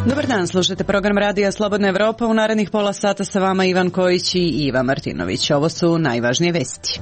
Dobar dan, slušate program Radija Slobodna Evropa. U narednih pola sata sa vama Ivan Kojić i Iva Martinović. Ovo su najvažnije vesti.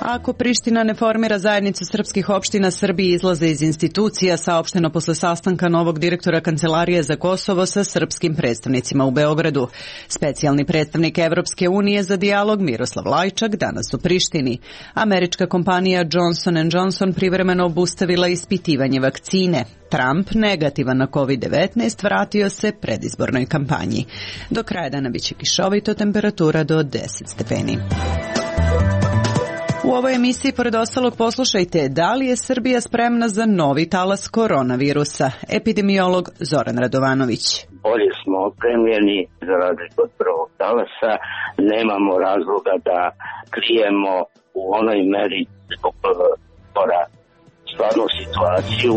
Ako Priština ne formira zajednicu srpskih opština, Srbi izlaze iz institucija, saopšteno posle sastanka novog direktora Kancelarije za Kosovo sa srpskim predstavnicima u Beogradu. Specijalni predstavnik Evropske unije za dijalog Miroslav Lajčak danas u Prištini. Američka kompanija Johnson & Johnson privremeno obustavila ispitivanje vakcine. Trump, negativan na COVID-19, vratio se predizbornoj kampanji. Do kraja dana biće kišovito, temperatura do 10 stepeni. U ovoj emisiji, pored ostalog, poslušajte da li je Srbija spremna za novi talas koronavirusa. Epidemiolog Zoran Radovanović. Bolje smo opremljeni za razliku od prvog talasa. Nemamo razloga da krijemo u onoj meri zbog stvarnu situaciju.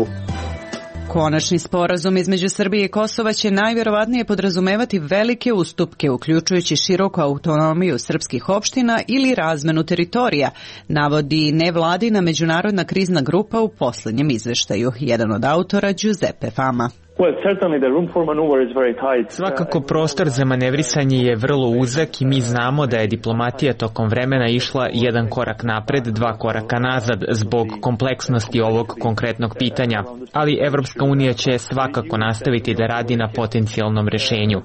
Konačni sporazum između Srbije i Kosova će najvjerovatnije podrazumevati velike ustupke, uključujući široku autonomiju srpskih opština ili razmenu teritorija, navodi nevladina međunarodna krizna grupa u posljednjem izveštaju. Jedan od autora, Giuseppe Fama. Svakako prostor za manevrisanje je vrlo uzak i mi znamo da je diplomatija tokom vremena išla jedan korak napred, dva koraka nazad zbog kompleksnosti ovog konkretnog pitanja, ali Evropska unija će svakako nastaviti da radi na potencijalnom rešenju.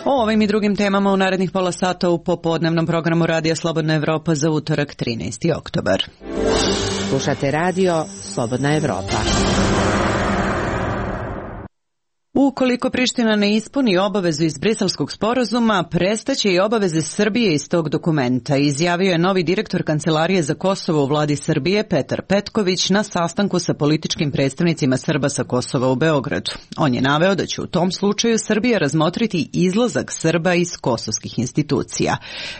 O ovim i drugim temama u narednih pola sata u popodnevnom programu Radija Slobodna Evropa za utorak 13. oktobar. Slušate radio Slobodna Evropa. Ukoliko Priština ne ispuni obavezu iz Briselskog sporazuma, prestaće i obaveze Srbije iz tog dokumenta, izjavio je novi direktor Kancelarije za Kosovo u vladi Srbije Petar Petković na sastanku sa političkim predstavnicima Srba sa Kosova u Beogradu. On je naveo da će u tom slučaju Srbija razmotriti izlazak Srba iz kosovskih institucija.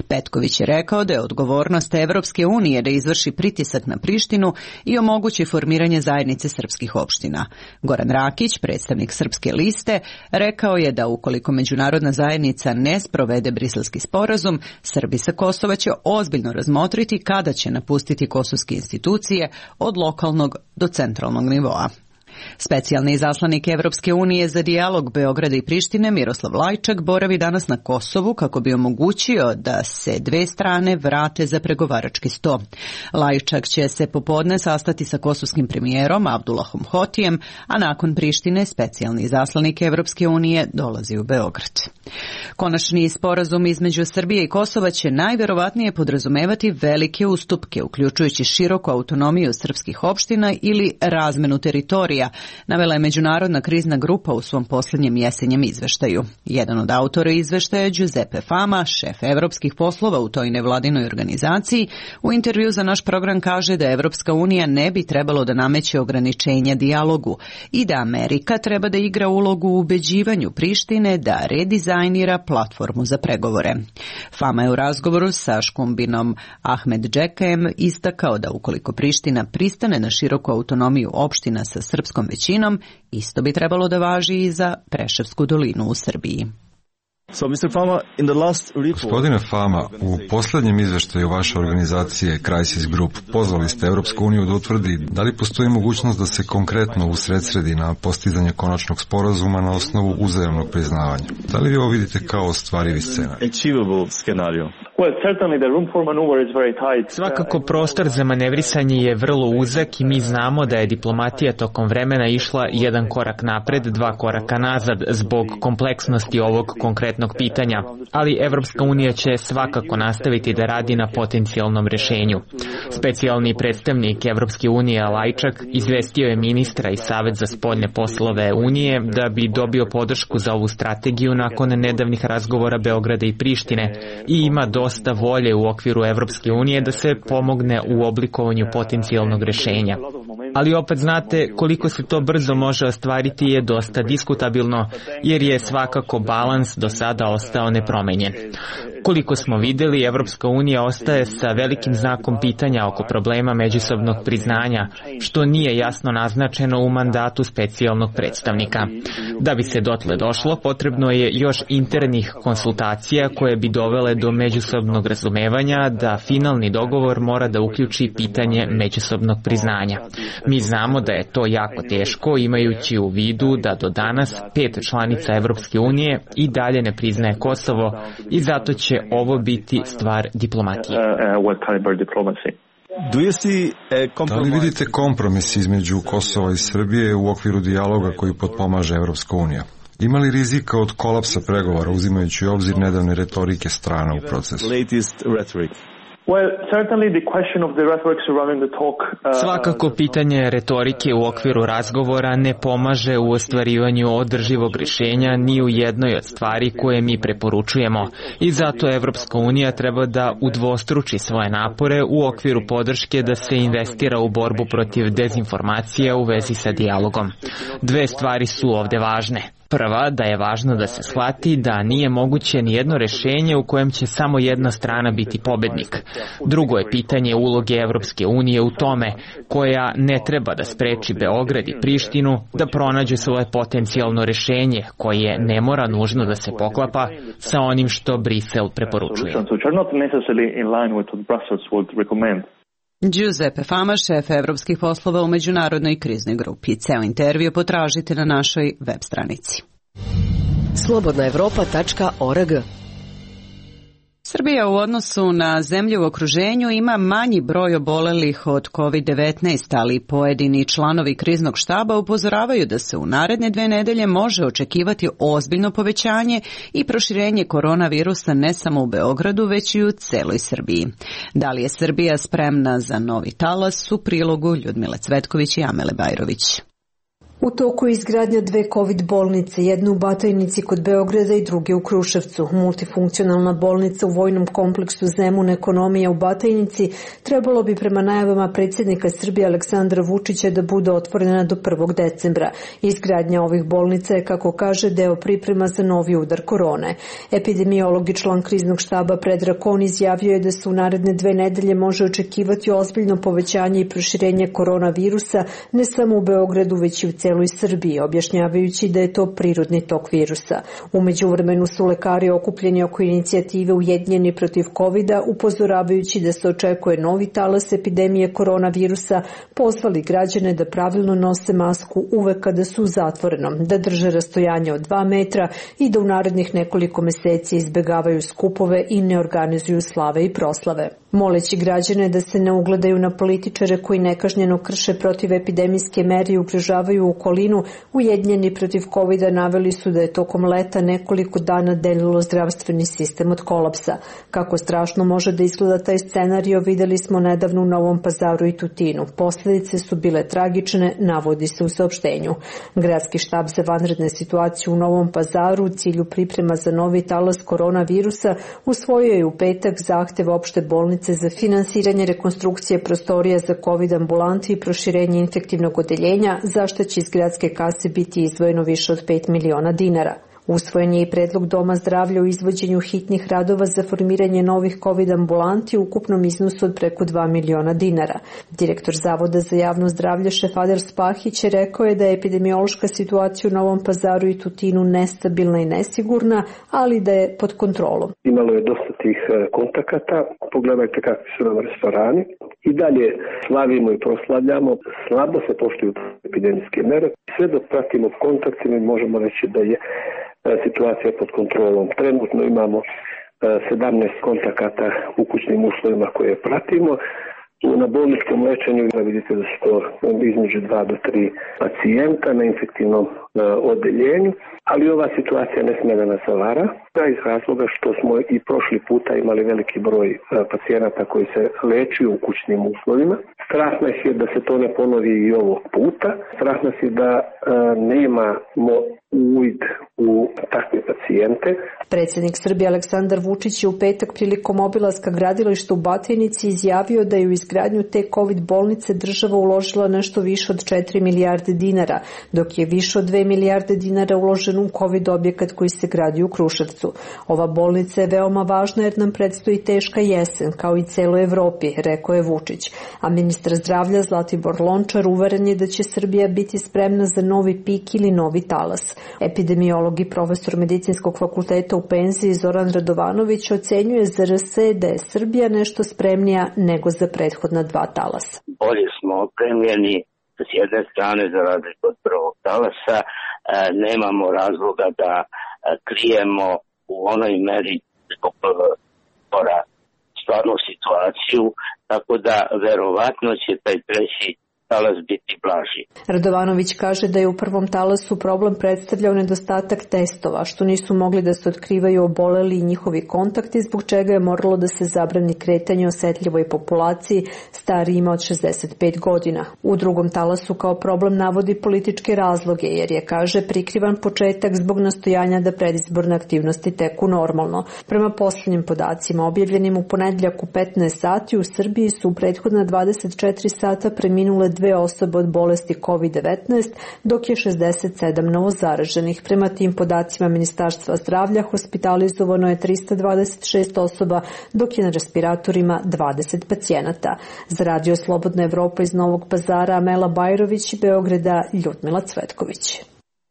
Petković je rekao da je odgovornost Evropske unije da izvrši pritisak na Prištinu i omogući formiranje zajednice srpskih opština. Goran Rakić, predstavnik Srpske liste, rekao je da ukoliko međunarodna zajednica ne sprovede Briselski sporazum, Srbi sa Kosova će ozbiljno razmotriti kada će napustiti kosovske institucije od lokalnog do centralnog nivoa. Specijalni izaslanik Evropske unije za dijalog Beograda i Prištine Miroslav Lajčak boravi danas na Kosovu kako bi omogućio da se dve strane vrate za pregovarački sto. Lajčak će se popodne sastati sa kosovskim premijerom Abdullahom Hotijem, a nakon Prištine specijalni izaslanik Evropske unije dolazi u Beograd. Konačni sporazum između Srbije i Kosova će najvjerovatnije podrazumevati velike ustupke, uključujući široku autonomiju srpskih opština ili razmenu teritorija, navela je međunarodna krizna grupa u svom posljednjem jesenjem izveštaju. Jedan od autora izveštaja je Giuseppe Fama, šef evropskih poslova u toj nevladinoj organizaciji. U intervju za naš program kaže da Evropska unija ne bi trebalo da nameće ograničenja dijalogu i da Amerika treba da igra ulogu u ubeđivanju Prištine da redizajnira platformu za pregovore. Fama je u razgovoru sa Škumbinom Ahmed Džekajem istakao da ukoliko Priština pristane na široku autonomiju opština sa srpskom većinom, isto bi trebalo da važi i za Preševsku dolinu u Srbiji. Gospodine Fama, u posljednjem izveštaju vaše organizacije Crisis Group pozvali ste Evropsku uniju da utvrdi da li postoji mogućnost da se konkretno usredsredi na postizanje konačnog sporazuma na osnovu uzajamnog priznavanja. Da li vi ovo vidite kao ostvarivi scenarij? Svakako prostor za manevrisanje je vrlo uzak i mi znamo da je diplomatija tokom vremena išla jedan korak napred, dva koraka nazad zbog kompleksnosti ovog konkretnog pitanja, ali Evropska unija će svakako nastaviti da radi na potencijalnom rešenju. Specijalni predstavnik Evropske unije Lajčak izvestio je ministra i Savet za spoljne poslove Unije da bi dobio podršku za ovu strategiju nakon nedavnih razgovora Beograda i Prištine i ima dosta volje u okviru Evropske unije da se pomogne u oblikovanju potencijalnog rešenja. Ali opet znate, koliko se to brzo može ostvariti je dosta diskutabilno, jer je svakako balans do sada ostao nepromenjen. Koliko smo videli, Evropska unija ostaje sa velikim znakom pitanja oko problema međusobnog priznanja, što nije jasno naznačeno u mandatu specijalnog predstavnika. Da bi se dotle došlo, potrebno je još internih konsultacija koje bi dovele do međusobnog razumevanja da finalni dogovor mora da uključi pitanje međusobnog priznanja. Mi znamo da je to jako teško, imajući u vidu da do danas 5 članica Evropske unije i dalje ne priznaje Kosovo i zato će ovo biti stvar diplomatije. Da li vidite kompromis između Kosova i Srbije u okviru dijaloga koji potpomaže Evropska unija? Ima li rizika od kolapsa pregovora uzimajući u obzir nedavne retorike strana u procesu? Svakako pitanje retorike u okviru razgovora ne pomaže u ostvarivanju održivog rješenja ni u jednoj od stvari koje mi preporučujemo i zato Evropska unija treba da udvostruči svoje napore u okviru podrške da se investira u borbu protiv dezinformacija u vezi sa dijalogom. 2 stvari su ovde važne. Prva, da je važno da se shvati da nije moguće ni jedno rješenje u kojem će samo jedna strana biti pobednik. Drugo je pitanje uloge Evropske unije u tome, koja ne treba da spreči Beograd i Prištinu da pronađu svoje potencijalno rješenje, koje ne mora nužno da se poklapa sa onim što Brisel preporučuje. Giuseppe Fama, šef evropskih poslova u međunarodnoj kriznoj grupi. Ceo intervju potražite na našoj web stranici. Slobodnaevropa.org. Srbija u odnosu na zemlje u okruženju ima manji broj obolelih od COVID-19, ali pojedini članovi kriznog štaba upozoravaju da se u naredne 2 nedelje može očekivati ozbiljno povećanje i proširenje koronavirusa ne samo u Beogradu, već i u celoj Srbiji. Da li je Srbija spremna za novi talas, u prilogu Ljudmile Cvetković i Amele Bajrović. U toku je izgradnja 2 COVID bolnice, jednu u Batajnici kod Beograda i druge u Kruševcu. Multifunkcionalna bolnica u vojnom kompleksu Zemun Ekonomija u Batajnici trebalo bi prema najavama predsjednika Srbije Aleksandra Vučića da bude otvorena do 1. decembra. Izgradnja ovih bolnica je, kako kaže, deo priprema za novi udar korone. Epidemiolog i član kriznog štaba Predrag Kon izjavio je da se u naredne 2 nedelje može očekivati ozbiljno povećanje i proširenje koronavirusa ne samo u Beogradu, već i u celoj Srbiji, objašnjavajući da je to prirodni tok virusa. U međuvremenu su lekari okupljeni oko inicijative Ujedinjeni protiv COVID-a, upozoravajući da se očekuje novi talas epidemije koronavirusa, pozvali građane da pravilno nose masku uvek kada su u zatvorenom, da drže rastojanje od 2 metra i da u narednih nekoliko meseci izbegavaju skupove i ne organizuju slave i proslave. Moleći građane da se ne ugledaju na političare koji nekažnjeno krše protivepidemijske mere i ugrožavaju okolinu, Ujedinjeni protiv COVID-a naveli su da je tokom leta nekoliko dana delilo zdravstveni sistem od kolapsa. Kako strašno može da izgleda taj scenario, videli smo nedavno u Novom Pazaru i Tutinu. Posljedice su bile tragične, navodi se u saopštenju. Gradski štab za vanredne situacije u Novom Pazaru u cilju priprema za novi talas koronavirusa usvojio je u petak zahtev opšte bolnice za finansiranje rekonstrukcije prostorija za COVID ambulanti i proširenje infektivnog odeljenja, za što će iz gradske kase biti izdvojeno više od 5 miliona dinara. Usvojen je i predlog Doma zdravlja o izvođenju hitnih radova za formiranje novih COVID ambulanti u ukupnom iznosu od preko 2 miliona dinara. Direktor Zavoda za javno zdravlje Šefader Spahić je rekao da je epidemiološka situacija u Novom Pazaru i Tutinu nestabilna i nesigurna, ali da je pod kontrolom. Imalo je dosta tih kontakata, pogledajte kakvi su nam restorani. I dalje slavimo i proslavljamo, slabo se poštuju epidemijske mere. Sve dok pratimo kontakt, mi možemo reći da je situacija pod kontrolom. Trenutno imamo 17 kontakata u kućnim uslovima koje pratimo. Na bolničkom lečenju vidite da su to između 2 do 3 pacijenta na infektivnom odeljenju, ali ova situacija ne smije da nas zavara, iz razloga što smo i prošli puta imali veliki broj pacijenata koji se lečuju u kućnim uslovima. Strah nas je da se to ne ponovi i ovog puta. Strah nas je da nemamo uvid u takve pacijente. Predsjednik Srbije Aleksandar Vučić je u petak prilikom obilaska gradilišta u Batajnici izjavio da je u izgradnju te COVID bolnice država uložila nešto više od 4 milijarde dinara, dok je više od 2 milijarde dinara uloženo u COVID objekat koji se gradi u Kruševcu. Ova bolnica je veoma važna jer nam predstoji teška jesen, kao i celoj Evropi, rekao je Vučić. A ministar zdravlja Zlatibor Lončar uveren je da će Srbija biti spremna za novi pik ili novi talas. Epidemiolog i profesor medicinskog fakulteta u penziji Zoran Radovanović ocenjuje za RS da je Srbija nešto spremnija nego za prethodna dva talasa. Bolje smo opremljeni s jedne strane za razliku od prvog talasa, nemamo razloga da krijemo u onoj meri zbog stvarnu situaciju, tako da verovatno će taj treći talas biti blaži. Radovanović kaže da je u prvom talasu problem predstavljao nedostatak testova, što nisu mogli da se otkrivaju oboleli i njihovi kontakti, zbog čega je moralo da se zabrani kretanje osetljivoj populaciji starijima od 65 godina. U drugom talasu kao problem navodi političke razloge, jer je, kaže, prikrivan početak zbog nastojanja da predizborne aktivnosti teku normalno. Prema posljednjim podacima objavljenim u ponedjeljak u 15 sati u Srbiji su u prethodna 24 sata preminule 2 osobe od bolesti COVID-19, dok je 67 novozaraženih. Prema tim podacima Ministarstva zdravlja hospitalizovano je 326 osoba, dok je na respiratorima 20 pacijenata. Za Radio Slobodna Evropa iz Novog Pazara Amela Bajrović i Beograda Ljudmila Cvetković.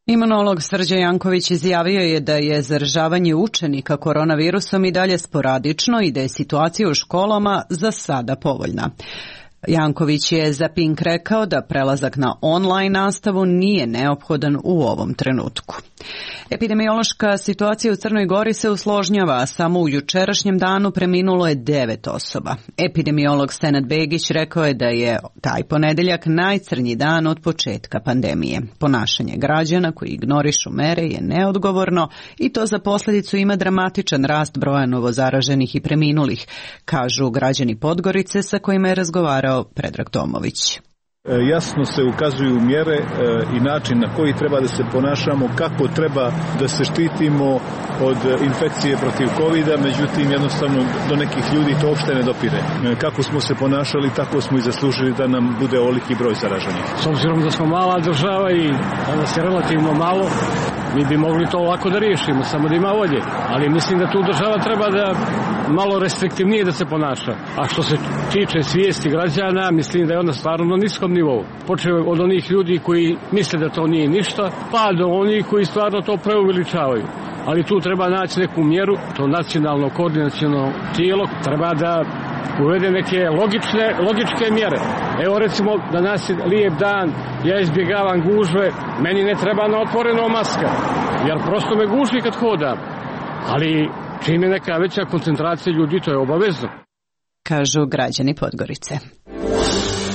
Imunolog Srđan Janković izjavio je da je zaražavanje učenika koronavirusom i dalje sporadično i da je situacija u školama za sada povoljna. Janković je za Pink rekao da prelazak na online nastavu nije neophodan u ovom trenutku. Epidemiološka situacija u Crnoj Gori se usložnjava, a samo u jučerašnjem danu preminulo je 9 osoba. Epidemiolog Senad Begić rekao je da je taj ponedeljak najcrnji dan od početka pandemije. Ponašanje građana koji ignorišu mere je neodgovorno i to za posljedicu ima dramatičan rast broja novozaraženih i preminulih, kažu građani Podgorice sa kojima je razgovarao Predrag Tomović. Jasno se ukazuju mjere i način na koji treba da se ponašamo, kako treba da se štitimo od infekcije protiv COVID-a, međutim jednostavno do nekih ljudi to uopšte ne dopire. Kako smo se ponašali, tako smo i zaslužili da nam bude ovoliki broj zaraženih. S obzirom da smo mala država i da nas je relativno malo, mi bi mogli to lako da riješimo, samo da ima volje. Ali mislim da tu država treba da malo restriktivnije da se ponaša. A što se tiče svijesti građana, mislim da je ona stvarno na niskom nivou. Počeo od onih ljudi koji misle da to nije ništa, pa do onih koji stvarno to preuveličavaju. Ali tu treba naći neku mjeru, to nacionalno koordinaciono tijelo treba da uvede neke logičke mjere. Evo recimo, danas je lijep dan, ja izbjegavam gužve, meni ne treba na otvoreno maska, jer prosto me guši kad hodam. Ali čim je neka veća koncentracija ljudi, to je obavezno. Kažu građani Podgorice.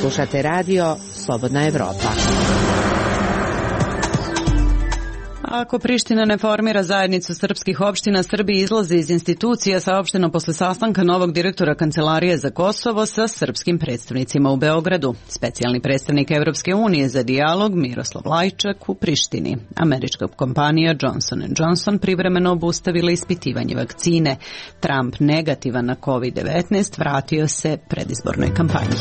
Slušate radio Slobodna Evropa. Ako Priština ne formira zajednicu srpskih opština, Srbi izlaze iz institucija, saopšteno posle sastanka novog direktora Kancelarije za Kosovo sa srpskim predstavnicima u Beogradu. Specijalni predstavnik Evropske unije za dijalog Miroslav Lajčak u Prištini. Američka kompanija Johnson & Johnson privremeno obustavila ispitivanje vakcine. Trump negativan na COVID-19 vratio se predizbornoj kampanji.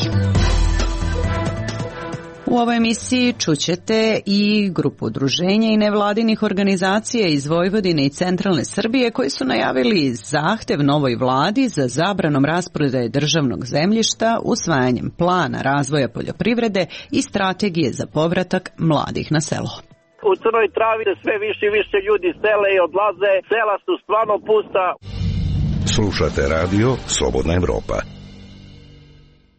U ovoj emisiji čućete i grupu udruženja i nevladinih organizacija iz Vojvodine i centralne Srbije koji su najavili zahtev novoj vladi za zabranom rasprodaje državnog zemljišta, usvajanjem plana razvoja poljoprivrede i strategije za povratak mladih na selo. U Crnoj Travi sve više i više ljudi sele i odlaze, sela su stvarno pusta. Slušate radio Slobodna Evropa.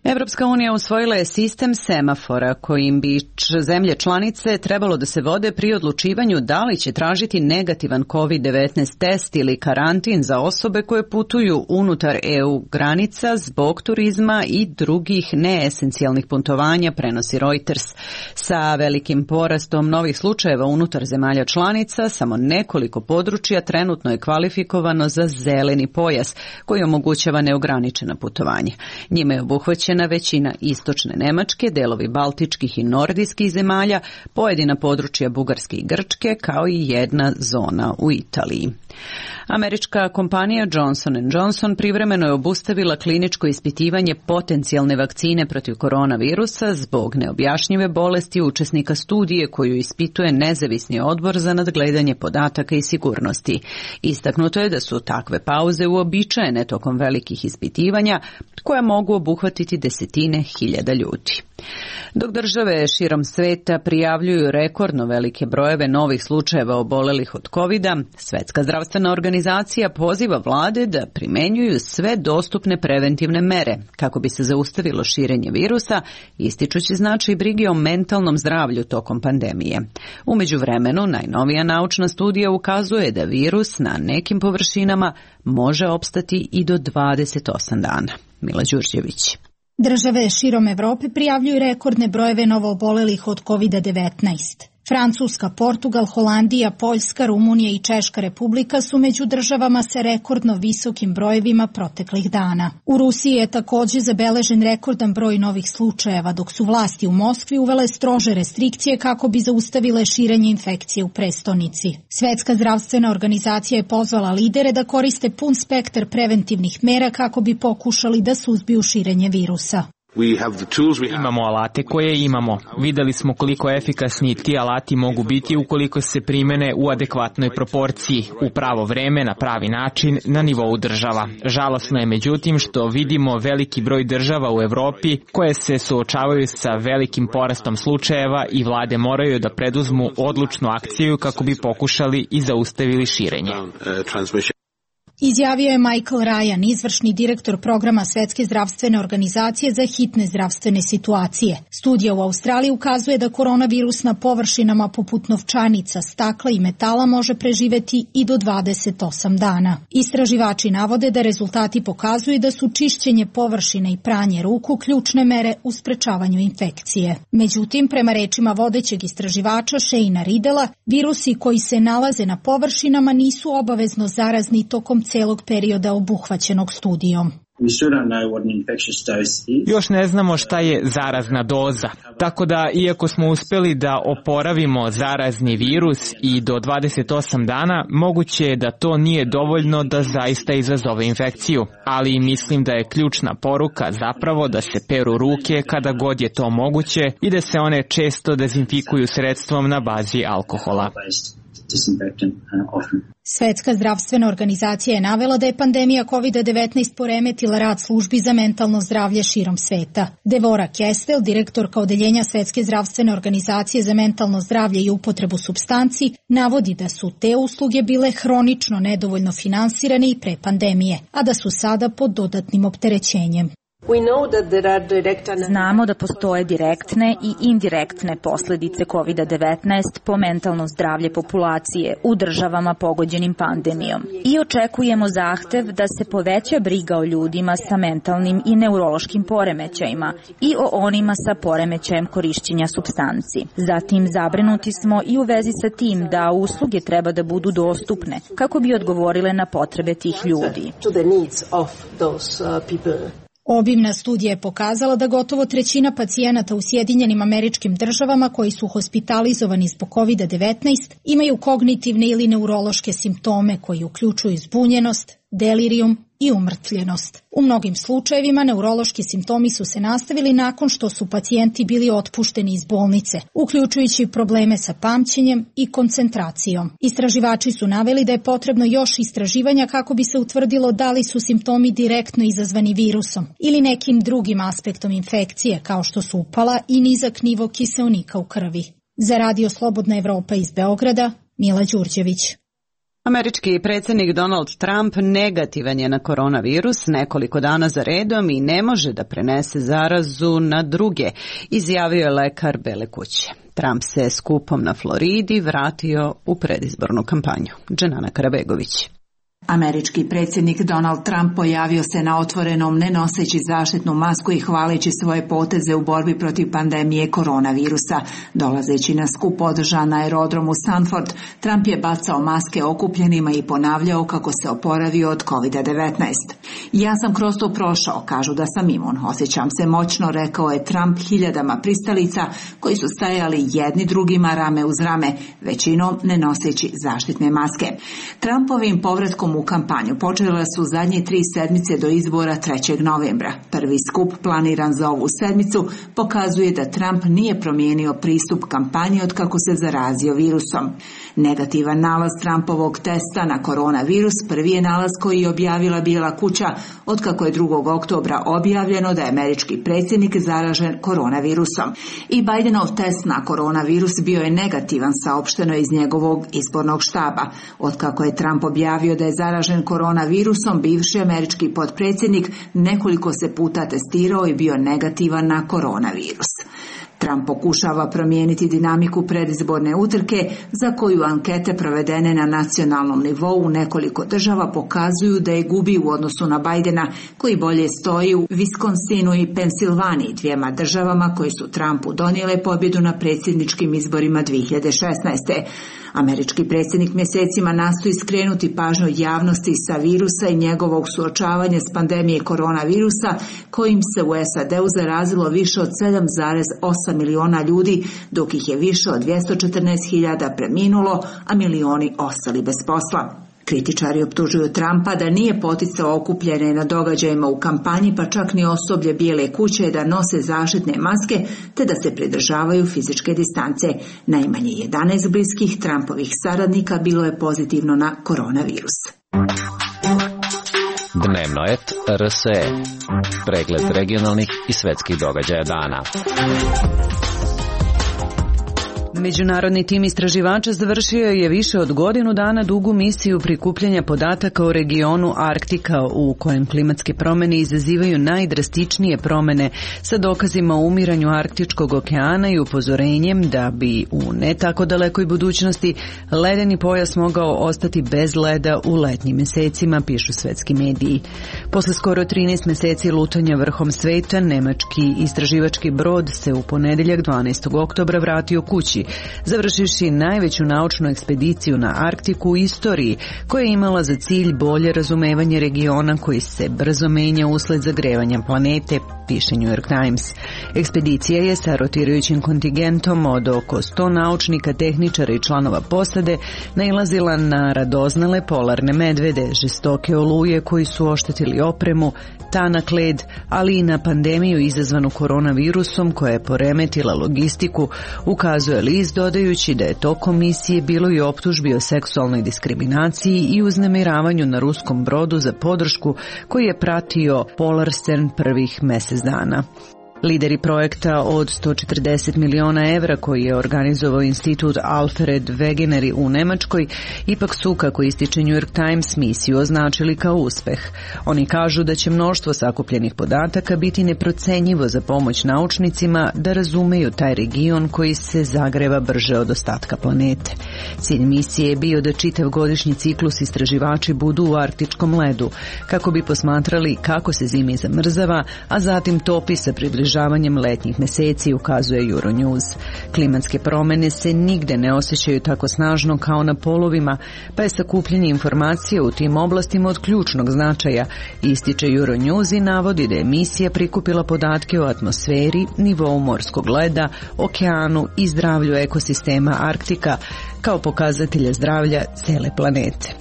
Evropska unija usvojila je sistem semafora kojim bi zemlje članice trebalo da se vode pri odlučivanju da li će tražiti negativan COVID-19 test ili karantin za osobe koje putuju unutar EU granica zbog turizma i drugih neesencijalnih putovanja, prenosi Reuters. Sa velikim porastom novih slučajeva unutar zemalja članica, samo nekoliko područja trenutno je kvalifikovano za zeleni pojas koji omogućava neograničena putovanja. Njime je obuhvaćen zahvaćena većina istočne Nemačke, delovi baltičkih i nordijskih zemalja, pojedina područja Bugarske i Grčke, kao i jedna zona u Italiji. Američka kompanija Johnson & Johnson privremeno je obustavila kliničko ispitivanje potencijalne vakcine protiv koronavirusa zbog neobjašnjive bolesti učesnika studije koju ispituje nezavisni odbor za nadgledanje podataka i sigurnosti. Istaknuto je da su takve pauze uobičajene tokom velikih ispitivanja koja mogu obuhvatiti desetine hiljada ljudi. Dok države širom sveta prijavljuju rekordno velike brojeve novih slučajeva obolelih od covida, Svetska zdravstvena organizacija poziva vlade da primenjuju sve dostupne preventivne mere kako bi se zaustavilo širenje virusa, ističući značaj brige o mentalnom zdravlju tokom pandemije. U međuvremenu, najnovija naučna studija ukazuje da virus na nekim površinama može opstati i do 28 dana. Mila Đurđević. Države širom Evrope prijavljuju rekordne brojeve novoobolelih od COVID-19. Francuska, Portugal, Holandija, Poljska, Rumunija i Češka republika su među državama sa rekordno visokim brojevima proteklih dana. U Rusiji je također zabeležen rekordan broj novih slučajeva, dok su vlasti u Moskvi uvele strože restrikcije kako bi zaustavile širenje infekcije u prestonici. Svetska zdravstvena organizacija je pozvala lidere da koriste pun spektar preventivnih mera kako bi pokušali da suzbiju širenje virusa. Imamo alate koje imamo. Videli smo koliko efikasni ti alati mogu biti ukoliko se primene u adekvatnoj proporciji, u pravo vreme, na pravi način, na nivou država. Žalosno je međutim što vidimo veliki broj država u Evropi koje se suočavaju sa velikim porastom slučajeva i vlade moraju da preduzmu odlučnu akciju kako bi pokušali i zaustavili širenje. Izjavio je Michael Ryan, izvršni direktor programa Svetske zdravstvene organizacije za hitne zdravstvene situacije. Studija u Australiji ukazuje da koronavirus na površinama poput novčanica, stakla i metala može preživeti i do 28 dana. Istraživači navode da rezultati pokazuju da su čišćenje površine i pranje ruku ključne mere u sprečavanju infekcije. Međutim, prema rečima vodećeg istraživača Shane'a Riddela, virusi koji se nalaze na površinama nisu obavezno zarazni tokom celog perioda obuhvaćenog studijom. Još ne znamo šta je zarazna doza, tako da iako smo uspeli da oporavimo zarazni virus i do 28 dana, moguće je da to nije dovoljno da zaista izazove infekciju, ali mislim da je ključna poruka zapravo da se peru ruke kada god je to moguće i da se one često dezinfikuju sredstvom na bazi alkohola. Svetska zdravstvena organizacija je navela da je pandemija COVID-19 poremetila rad službi za mentalno zdravlje širom sveta. Devora Kestel, direktorka odeljenja Svetske zdravstvene organizacije za mentalno zdravlje i upotrebu supstanci, navodi da su te usluge bile hronično nedovoljno finansirane i pre pandemije, a da su sada pod dodatnim opterećenjem. Znamo da postoje direktne i indirektne posljedice COVID-19 po mentalno zdravlje populacije u državama pogođenim pandemijom i očekujemo zahtev da se poveća briga o ljudima sa mentalnim i neurološkim poremećajima i o onima sa poremećajem korišćenja supstanci. Zatim zabrinuti smo i u vezi sa tim da usluge treba da budu dostupne kako bi odgovorile na potrebe tih ljudi. Obimna studija je pokazala da gotovo trećina pacijenata u Sjedinjenim Američkim Državama koji su hospitalizovani zbog COVID-19 imaju kognitivne ili neurološke simptome koji uključuju zbunjenost, delirijum i umrtvljenost. U mnogim slučajevima neurološki simptomi su se nastavili nakon što su pacijenti bili otpušteni iz bolnice, uključujući probleme sa pamćenjem i koncentracijom. Istraživači su naveli da je potrebno još istraživanja kako bi se utvrdilo da li su simptomi direktno izazvani virusom ili nekim drugim aspektom infekcije, kao što su upala i nizak nivo kiseonika u krvi. Za Radio Slobodna Evropa iz Beograda, Mila Đurđević. Američki predsjednik Donald Trump negativan je na koronavirus nekoliko dana za redom i ne može da prenese zarazu na druge, izjavio je lekar Bele kuće. Trump se skupom na Floridi vratio u predizbornu kampanju. Dženana Karabegović. Američki predsjednik Donald Trump pojavio se na otvorenom ne noseći zaštitnu masku i hvaleći svoje poteze u borbi protiv pandemije koronavirusa. Dolazeći na skup održan na aerodromu Sanford, Trump je bacao maske okupljenima i ponavljao kako se oporavio od COVID-19. Ja sam kroz to prošao, kažu da sam imun. Osjećam se moćno, rekao je Trump hiljadama pristalica koji su stajali jedni drugima rame uz rame, većinom ne noseći zaštitne maske. Trumpovim povratkom u kampanju počela su zadnje 3 sedmice do izbora 3. novembra. Prvi skup planiran za ovu sedmicu pokazuje da Trump nije promijenio pristup kampanji od kako se zarazio virusom. Negativan nalaz Trumpovog testa na koronavirus prvi je nalaz koji je objavila Bijela kuća od kako je 2. oktobra objavljeno da je američki predsjednik zaražen koronavirusom. I Bidenov test na koronavirus bio je negativan, saopšteno iz njegovog izbornog štaba. Od kako je Trump objavio da je zaražen koronavirusom, bivši američki potpredsjednik nekoliko se puta testirao i bio negativan na koronavirus. Trump pokušava promijeniti dinamiku predizborne utrke za koju ankete provedene na nacionalnom nivou u nekoliko država pokazuju da je gubi u odnosu na Bidena, koji bolje stoji u Wisconsinu i Pensilvaniji, 2 državama koje su Trumpu donijele pobjedu na predsjedničkim izborima 2016. Američki predsjednik mjesecima nastoji skrenuti pažnju javnosti sa virusa i njegovog suočavanja s pandemije koronavirusa, kojim se u SAD-u zarazilo više od 7,8 miliona ljudi, dok ih je više od 214.000 preminulo, a milioni ostali bez posla. Kritičari optužuju Trumpa da nije poticao okupljene na događajima u kampanji, pa čak ni osoblje Bijele kuće da nose zaštitne maske te da se pridržavaju fizičke distance. Najmanje 11 bliskih Trumpovih saradnika bilo je pozitivno na koronavirus. Dnevnoet RSE. Pregled regionalnih i svetskih događaja dana. Međunarodni tim istraživača završio je više od godinu dana dugu misiju prikupljanja podataka o regionu Arktika, u kojem klimatske promjene izazivaju najdrastičnije promjene, sa dokazima o umiranju Arktičkog okeana i upozorenjem da bi u ne tako dalekoj budućnosti ledeni pojas mogao ostati bez leda u letnjim mjesecima, pišu svetski mediji. Posle skoro 13 mjeseci lutanja vrhom sveta, nemački istraživački brod se u ponedjeljak 12. oktobra vratio kući, završivši najveću naučnu ekspediciju na Arktiku u istoriji, koja je imala za cilj bolje razumevanje regiona koji se brzo menja usled zagrevanja planete, piše New York Times. Ekspedicija je sa rotirajućim kontingentom od oko 100 naučnika, tehničara i članova posade nailazila na radoznale polarne medvede, žestoke oluje koji su oštetili opremu, tanak led, ali i na pandemiju izazvanu koronavirusom koja je poremetila logistiku, ukazuje list dodajući da je tokom misije bilo i optužbi o seksualnoj diskriminaciji i uznemiravanju na ruskom brodu za podršku koji je pratio Polarstern prvih mjesec dana. Lideri projekta od 140 miliona evra koji je organizovao institut Alfred Wegener u Nemačkoj ipak su, kako ističe New York Times, misiju označili kao uspeh. Oni kažu da će mnoštvo sakupljenih podataka biti neprocenjivo za pomoć naučnicima da razumeju taj region koji se zagreva brže od ostatka planete. Cilj misije je bio da čitav godišnji ciklus istraživači budu u arktičkom ledu, kako bi posmatrali kako se zimi zamrzava, a zatim topi sa približavanjem letnjih mjeseci, ukazuje Euronews. Klimatske promjene se nigde ne osjećaju tako snažno kao na polovima, pa je sakupljanje informacija u tim oblastima od ključnog značaja, ističe Euronews i navodi da je misija prikupila podatke o atmosferi, nivou morskog leda, okeanu i zdravlju ekosistema Arktika kao pokazatelja zdravlja cele planete.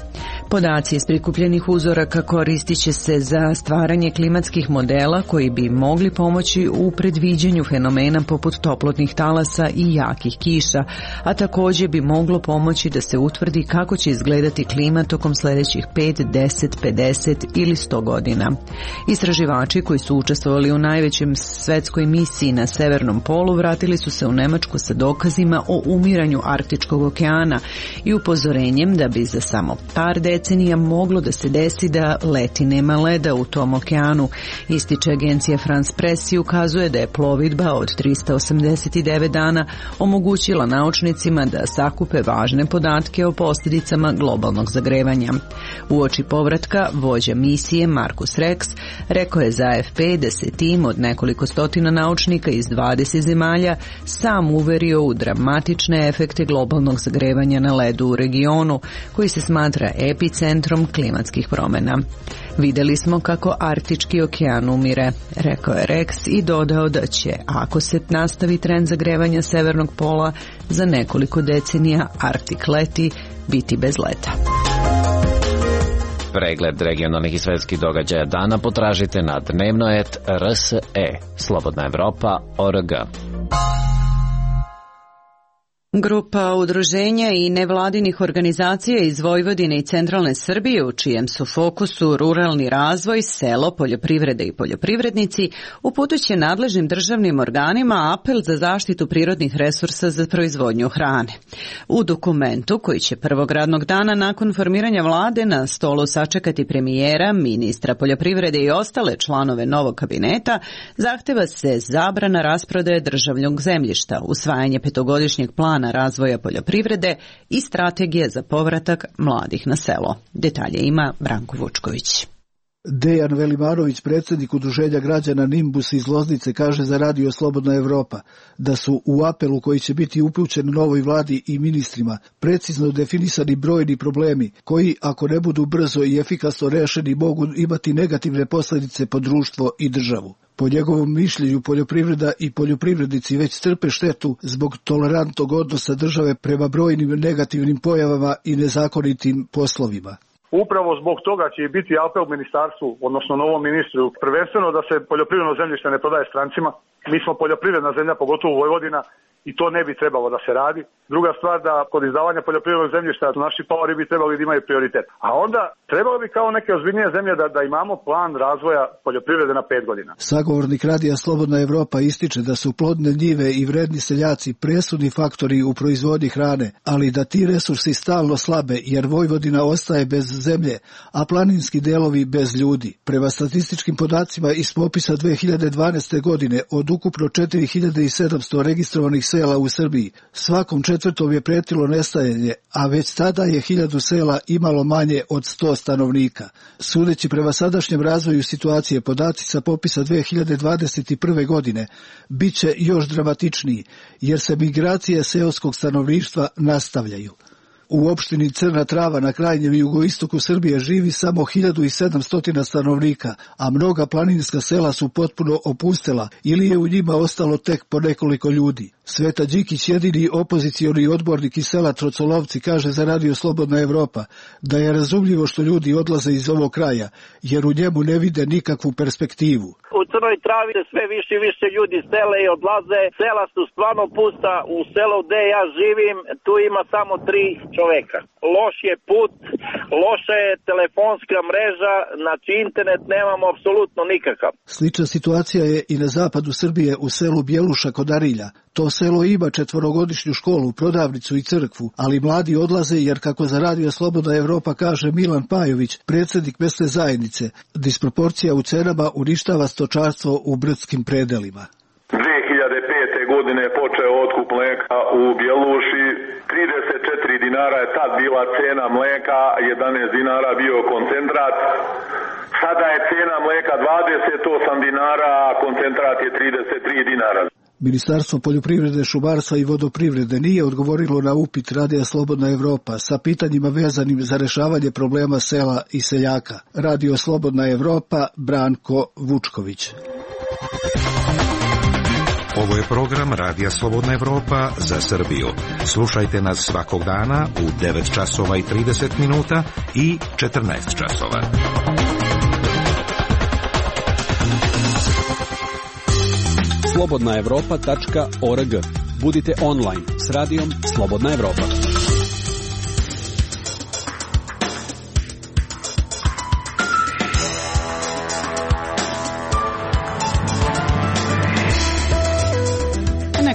Podaci iz prikupljenih uzoraka koristit će se za stvaranje klimatskih modela koji bi mogli pomoći u predviđanju fenomena poput toplotnih talasa i jakih kiša, a također bi moglo pomoći da se utvrdi kako će izgledati klima tokom sljedećih 5, 10, 50 ili 100 godina. Istraživači koji su učestvovali u najvećem svetskoj misiji na Severnom polu vratili su se u Nemačku sa dokazima o umiranju Arktičkog okeana i upozorenjem da bi za samo par decenija decenija moglo da se desi da leti nema leda u tom okeanu. Ističe agencija France Press i ukazuje da je plovidba od 389 dana omogućila naučnicima da sakupe važne podatke o posljedicama globalnog zagrevanja. Uoči povratka, vođa misije Markus Rex rekao je za AFP da se tim od nekoliko stotina naučnika iz 20 zemalja sam uverio u dramatične efekte globalnog zagrevanja na ledu u regionu, koji se smatra epicentrom klimatskih promjena. Vidjeli smo kako Arktički okean umire, rekao je Rex i dodao da će, ako se nastavi trend zagrevanja severnog pola, za nekoliko decenija Arktik leti biti bez leta. Pregled regionalnih i svetskih događaja dana potražite na dnevnoet.rse, slobodnaevropa.org. Grupa udruženja i nevladinih organizacija iz Vojvodine i centralne Srbije, u čijem su fokusu ruralni razvoj, selo, poljoprivrede i poljoprivrednici, uputit nadležnim državnim organima apel za zaštitu prirodnih resursa za proizvodnju hrane. U dokumentu, koji će prvog radnog dana nakon formiranja vlade na stolu sačekati premijera, ministra poljoprivrede i ostale članove novog kabineta, zahteva se zabrana rasprodaje državnog zemljišta, usvajanje petogodišnjeg plana razvoja poljoprivrede i strategije za povratak mladih na selo. Detalje ima Branko Vučković. Dejan Velimanović, predsjednik udruženja građana Nimbus iz Loznice, kaže za Radio Slobodna Evropa da su u apelu koji će biti upućen novoj vladi i ministrima precizno definisani brojni problemi koji, ako ne budu brzo i efikasno rešeni, mogu imati negativne posljedice po društvo i državu. Po njegovom mišljenju, poljoprivreda i poljoprivrednici već trpe štetu zbog tolerantnog odnosa države prema brojnim negativnim pojavama i nezakonitim poslovima. Upravo zbog toga će i biti apel ministarstvu, odnosno novom ministru, prvenstveno da se poljoprivredno zemljište ne prodaje strancima. Mi smo poljoprivredna zemlja, pogotovo Vojvodina, i to ne bi trebalo da se radi. Druga stvar, da kod izdavanja poljoprivrednog zemljišta naši paori bi trebali da imaju prioritet. A onda trebalo bi kao neke ozbiljnije zemlje da imamo plan razvoja poljoprivrede na 5 godina. Sagovornik Radija Slobodna Evropa ističe da su plodne njive i vredni seljaci presudni faktori u proizvodnji hrane, ali da ti resursi stalno slabe jer Vojvodina ostaje bez zemlje, a planinski delovi bez ljudi. Prema statističkim podacima iz popisa 2012. godine od ukupno 4700 registrovanih sela u Srbiji, svakom četvrtom je pretilo nestajanje, a već tada je 1000 sela imalo manje od 100 stanovnika. Sudeći prema sadašnjem razvoju situacije, podaci sa popisa 2021. godine bit će još dramatičniji, jer se migracije seoskog stanovništva nastavljaju. U opštini Crna Trava na krajnjem jugoistoku Srbije živi samo 1700 stanovnika, a mnoga planinska sela su potpuno opustela ili je u njima ostalo tek po nekoliko ljudi. Sveta Đikić, jedini opozicioni odbornik iz sela Trocolovci, kaže za Radio Slobodna Evropa da je razumljivo što ljudi odlaze iz ovog kraja, jer u njemu ne vide nikakvu perspektivu. U Crnoj Travi sve više i više ljudi sele i odlaze, sela su stvarno pusta, u selu gde ja živim tu ima samo 3 čoveka. Loš je put, loša je telefonska mreža, znači internet nemamo apsolutno nikakav. Slična situacija je i na zapadu Srbije u selu Bjeluša kod Arilja. To selo ima 4-godišnju školu, prodavnicu i crkvu, ali mladi odlaze jer, kako za Radio Slobodna Evropa kaže Milan Pajović, predsjednik mesne zajednice, disproporcija u cenama uništava stočarstvo u brdskim predelima. 2005. godine je počeo otkup mleka u Bjeluši, 34 dinara je tad bila cena mleka, 11 dinara bio koncentrat. Sada je cena mleka 28 dinara, a koncentrat je 33 dinara. Ministarstvo poljoprivrede, šumarstva i vodoprivrede nije odgovorilo na upit Radija Slobodna Evropa sa pitanjima vezanim za rešavanje problema sela i seljaka. Radio Slobodna Evropa, Branko Vučković. Ovo je program Radija Slobodna Evropa za Srbiju. Slušajte nas svakog dana u 9 časova i 30 minuta i 14 časova. slobodnaevropa.org. Budite online s radijom Slobodna Evropa.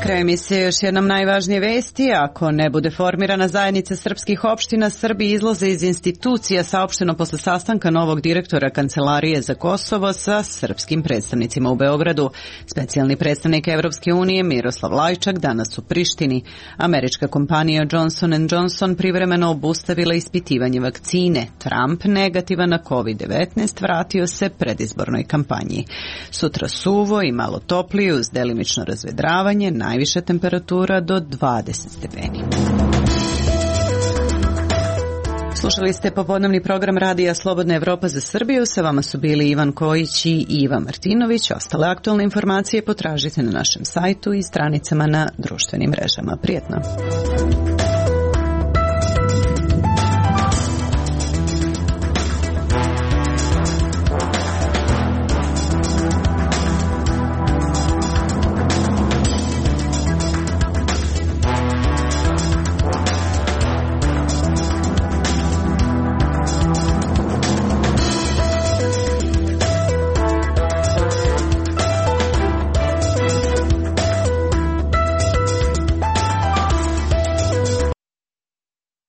kraju emisije još jednom najvažnije vesti. Ako ne bude formirana zajednica srpskih opština, Srbi izlaze iz institucija, saopšteno posle sastanka novog direktora Kancelarije za Kosovo sa srpskim predstavnicima u Beogradu. Specijalni predstavnik Evropske unije Miroslav Lajčak danas u Prištini. Američka kompanija Johnson & Johnson privremeno obustavila ispitivanje vakcine. Trump, negativan na COVID-19, vratio se predizbornoj kampanji. Sutra suvo i malo toplije uz delimično razvedravanje, najviša temperatura do 20 stepeni. Slušali ste popodnevni program Radija Slobodna Evropa za Srbiju. Sa vama su bili Ivan Kojić i Iva Martinović. Ostale aktualne informacije potražite na našem sajtu i stranicama na društvenim mrežama. Prijetno!